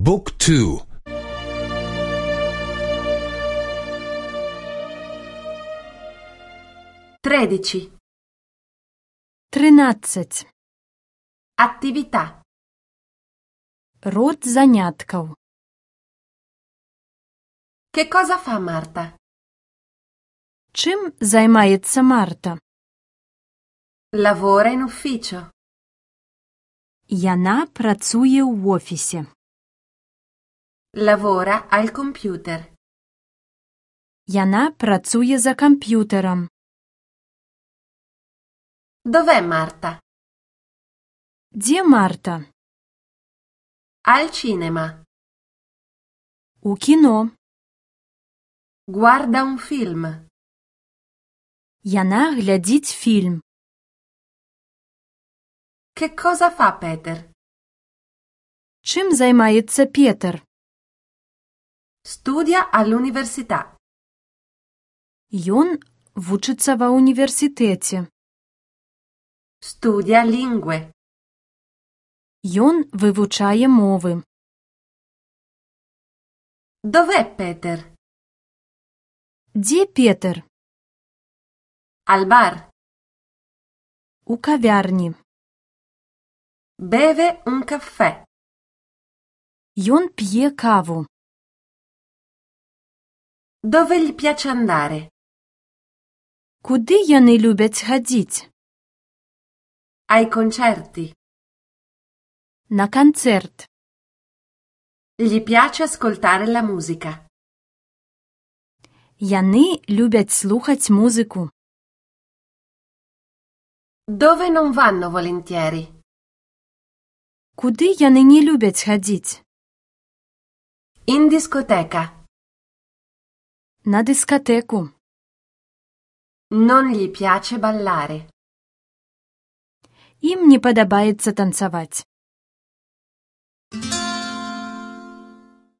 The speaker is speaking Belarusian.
บุ๊กทู13. 13. Attività. Род заняткаў. Che cosa fa Marta? Чым займаецца Марта? Lavora in ufficio. Яна працуе ў офісе. Lavora al computer. Яна працуе за камп'ютарам. Dov'è Marta? Дзе Марта? Al cinema. У кіно. Guarda un film. Яна глядзіць фільм. Che cosa fa Peter? Чым займаецца Петр? Studia all'università. Ён вучыцца ва ўніверсітэце. Studia lingue. Ён вывучае мовы. Dov'è Peter? Дзе Петр? Al bar. У кавярні. Beve un caffè. Ён п'е каву. Dove gli piace andare? Куды яны любяць хадзіць? Ai concerti. На канцэрт. Gli piace ascoltare la musica. Яны любяць слухаць музыку. Dove non vanno volentieri? Куды яны не любяць хадзіць? In discoteca. На дыскатэку. Non gli piace ballare. Ім не падабаецца танцаваць.